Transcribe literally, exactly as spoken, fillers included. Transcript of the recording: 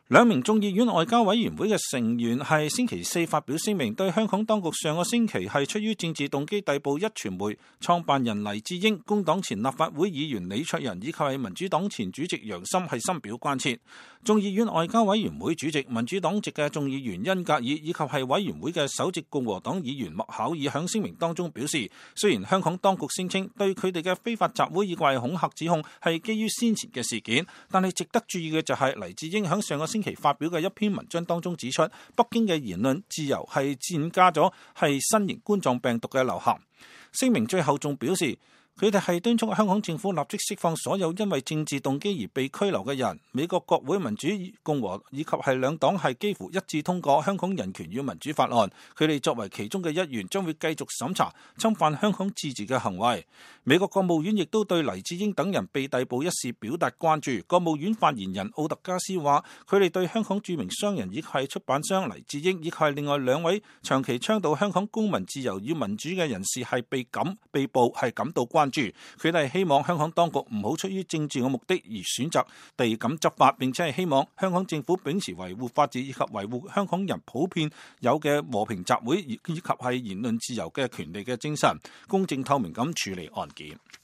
兩名眾議院外交委員會嘅成員係星期四發表聲明，對香港當局上個星期係出於政治動機逮捕壹傳媒創辦人黎智英、工黨前立法會議員李卓人以及係民主黨前主席楊森係深表關切。眾議院外交委員會主席民主黨籍嘅眾議員恩格爾以及係委員會嘅首席共和黨議員麥考爾響聲明當中表示，雖然香港當局聲稱對佢哋嘅非法集會以及恐嚇指控係基於先前嘅事件，但係值得注意嘅就係黎智英響上個星期發表嘅一篇文章當中指出，北京嘅言論自由係增加咗係新型冠狀病毒嘅流行。聲明最後仲表示，佢哋係敦促香港政府立即釋放所有因為政治動機而被拘留嘅人。美國國會民主共和以及係兩黨係幾乎一致通過香港人權與民主法案，佢哋作為其中嘅一員，將會繼續審查侵犯香港自治嘅行為。美國國務院亦都對黎智英等人被逮捕一事表達關注。國務院發言人奧特加斯話，佢哋對香港著名商人以及係出版商黎智英以及係另外兩位長期倡導香港公民自由與民主嘅人士係被感被捕係感到關注。佢哋希望香港當局唔好出於政治嘅目的而選擇地咁執法，並且係希望香港政府秉持維護法治以及維護香港人普遍有嘅和平集會以及係言論自由嘅權利嘅精神，公正透明咁處理案件。